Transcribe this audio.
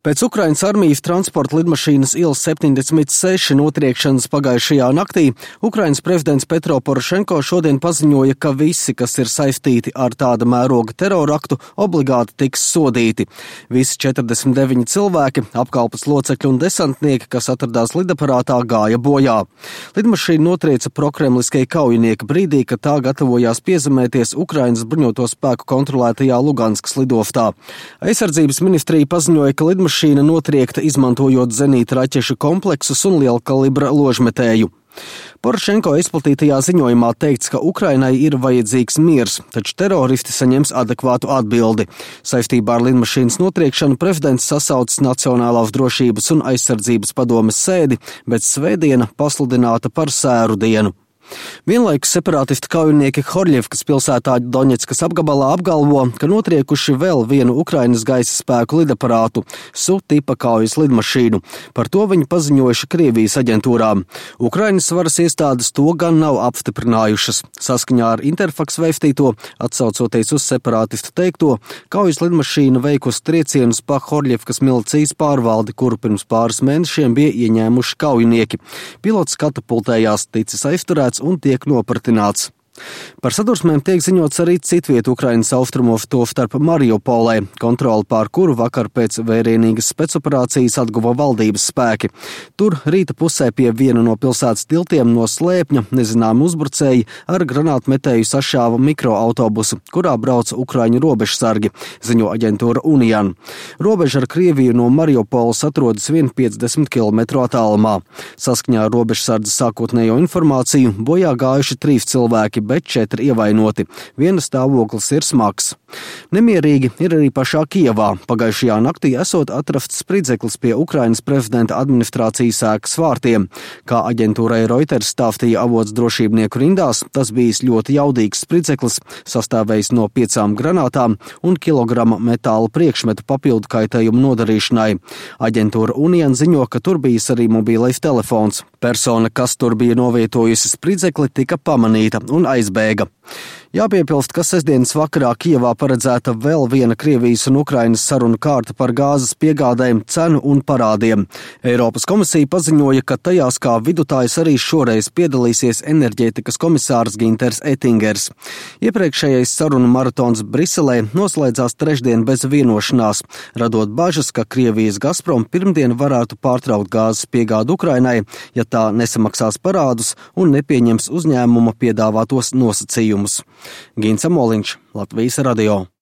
Pēc Ukrainas armijas transporta lidmašīnas Il-76 notriekšanas pagājušajā naktī Ukrainas prezidents Petro Porošenko šodien paziņoja, ka visi, kas ir saistīti ar tāda mēroga teroraktu, obligāti tiks sodīti. Visi 49 cilvēki, apkalpes locekļi un desantnieki, kas atradās lidaparātā, gāja bojā. Lidmašīna notrieca prokremliskie kaujinieki brīdī, kad tā gatavojās piezemēties Ukrainas bruņoto spēku kontrolētajā Luganskas lidoftā. Aizsardzības ministrija paziņoja, ka lidmašīna notriekta izmantojot zenīta raķešu kompleksus un liela kalibra ložmetēju. Porošenko izplatītajā ziņojumā teikts, ka Ukrainai ir vajadzīgs miers, taču teroristi saņems adekvātu atbildi. Saistībā ar lidmašīnas notriekšanu prezidents sasaucis Nacionālās drošības un aizsardzības padomes sēdi, bet svētdiena pasludināta par sēru dienu. Vienlaikus separātistu kaujinieki Horļevkas pilsētā Doņetskas apgabalā apgalvo, ka notriekuši vēl vienu Ukrainas gaisa spēku lidaparātu, Su-tipa kaujas lidmašīnu. Par to viņi paziņojuši Krievijas aģentūrām. Ukrainas varas iestādes to gan nav apstiprinājušas. Saskaņā ar Interfax vēstīto, atsaucoties uz separātistu teikto, kaujas lidmašīna veikusi triecienus pa Horļevkas milicijas pārvaldi, kuru pirms pāris mēnešiem bija ieņēmuši kaujinieki. Pilots katapultējās, ticis aizturēts un tiek nopratināts. Par sadursmēm tiek ziņots arī citvietu Ukrainas austrumos, tostarp Mariupolē, kontroli pār kuru vakar pēc vērienīgas spēcoperācijas atguva valdības spēki. Tur rīta pusē pie viena no pilsētas tiltiem no slēpņa nezināmi uzbrucēji ar granātmetēju sašāva mikroautobusu, kurā brauca ukraiņu robežsargi, ziņo aģentūra Unian. Robeža ar Krieviju no Mariupoles atrodas 150 km attālumā. Saskaņā ar robežsardzi sākotnējo informāciju bojā gājuši 3 cilvēki, bet 4 ievainoti. Viena stāvoklis ir smags. Nemierīgi ir arī pašā Kijevā. Pagājušajā naktī esot atrasts spridzeklis pie Ukrainas prezidenta administrācijas ēkas vārtiem. Kā aģentūrai Reuters stāstīja avots drošībnieku rindās, tas bijis ļoti jaudīgs spridzeklis, sastāvējis no 5 granātām un kilograma metāla priekšmetu papildu kaitējumu nodarīšanai. Aģentūra Unian ziņo, ka tur bijis arī mobilais telefons. Persona, kas tur bija novietojusi spridzekli, tika pamanīta un aizbēga. Jāpiepilst, ka sestdienas vakarā Kijevā paredzēta vēl viena Krievijas un Ukrainas sarunu kārta par gāzes piegādēm, cenu un parādiem. Eiropas komisija paziņoja, ka tajās kā vidutājs arī šoreiz piedalīsies enerģētikas komisārs Ginters Ettingers. Iepriekšējais sarunu maratons Briselē noslēdzās trešdien bez vienošanās, radot bažas, ka Krievijas Gazprom pirmdien varētu pārtraukt gāzes piegādu Ukrainai, ja tā nesamaksās parādus un nepieņems uzņēmuma piedāvātos nosacījumus. Gins Amoliņš, Latvijas radio.